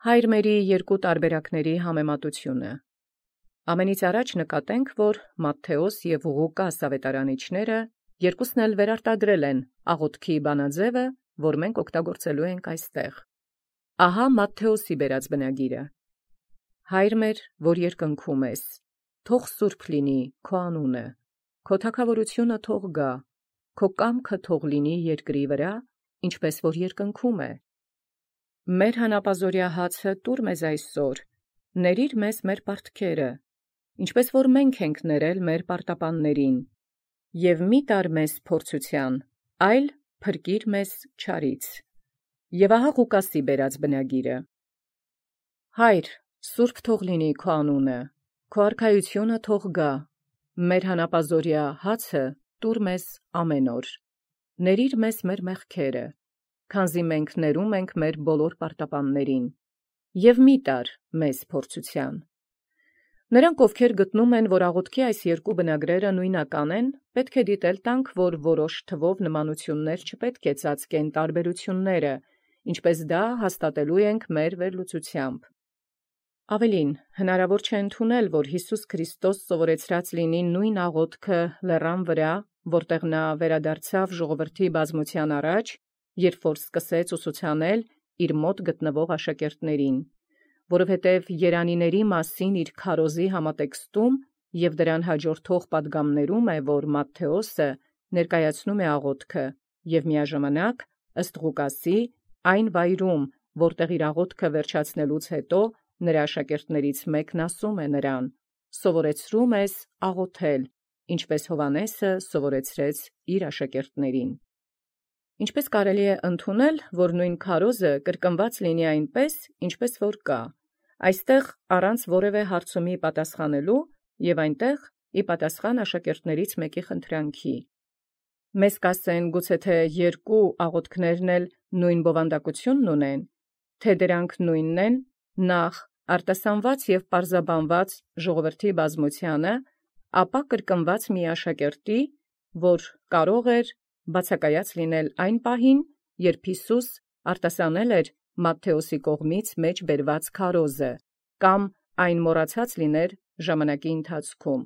Հայր մերի երկու տարբերակների համեմատությունը։ Ամենից առաջ նկատենք, որ Մատթեոս և Ղուկաս ավետարանիչները երկուսն էլ վերարտադրել են աղոթքի բանաձևը, որ մենք օգտագործելու ենք այստեղ։ Ահա Մատթեոսի բերած բնագիրը. Հայր մեր, որ երկնքում ես, թող սուրբ լինի քո անունը, քո թագավորությունը թող գա, քո կամքը թող լինի երկրի վրա, ինչպես որ երկնքում է։ Մեր հանապազօրյա հացը տուր մեզ այսօր, ներիր մեզ մեր պարտքերը, ինչպես որ մենք ենք ներել մեր պարտապաններին, և մի տար մեզ փորձության, այլ փրկիր մեզ չարից։ Եւ ահա Ղուկասի բերած բնագիրը. Հայր, սուրբ թող լինի քո անունը, քո արքայությունը թող գա, մեր հանապազօրյա հացը տուր մեզ ամեն օր, ներիր մեզ մեր մեղքերը, քանզի մենք ներում ենք մեր բոլոր պարտապաններին, և մի տար մեզ փորձության։ Նրանք, ովքեր գտնում են, որ աղոթքի այս երկու բնագրերը նույնական են, պետք է դիտել տանք, որ որոշ թվով նմանություններ չպետք է ծածկեն տարբերությունները, ինչպես դա հաստատելու ենք մեր վերլուծությամբ։ Ավելին, հնարավոր չէ ընդունել, որ Հիսուս Քրիստոս սովորեցրած լինի նույն աղոթքը լեռան վրա, որտեղ նա վերադարձավ ժողովրդի բազմության առաջ, երբ որ սկսեց ուսուցանել իր մոտ գտնվող աշակերտներին, որովհետև երանիների մասին իր քարոզի համատեքստում և դրան հաջորդող պատգամներում է, որ Մատթեոսը ներկայացնում է աղոթքը և միաժամանակ, ըստ Ղուկասի, այն վայրում, որտեղ իր աղոթքը վերջացնելուց հետո նրա աշակերտներից մեկն ասում է նրան. «Սովորեցրում ես աղոթել, ինչպես Հովհաննեսը սովորեցրեց իր աշակերտներին»։ Ինչպես կարելի է ընդունել, որ նույն քարոզը կրկնված լինի այնպես, ինչպես որ կա, այստեղ առանց որևէ հարցումի պատասխանելու և այնտեղ ի պատասխան աշակերտներից մեկի խնդրանքի։ Մեզ կասեն, գուցե թե երկու աղոթքներն էլ նույն բովանդակությունն ունեն, թե դրանք նույնն են, նախ արտասանված և պարզաբանված ժողովրդի բազմությանը, ապա կրկնված մի աշակերտի, որ կարող էր բացակայած լինել այն պահին, երբ Հիսուս արտասանել էր Մատթեոսի կողմից մեջ բերված քարոզը, կամ այն մոռացած լիներ ժամանակի ընթացքում։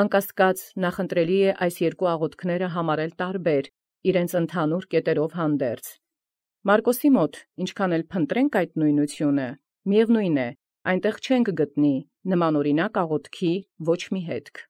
Անկասկած նախընտրելի է այս երկու աղոթքները համարել տարբեր, իրենց ընդհանուր կետերով հանդերձ։ Մարկոսի մոտ, ինչքան էլ փնտրենք այդ նույնությունը, միևնույն է, այնտեղ չենք գտնի նմանօրինակ աղոթքի ոչ մի հետք։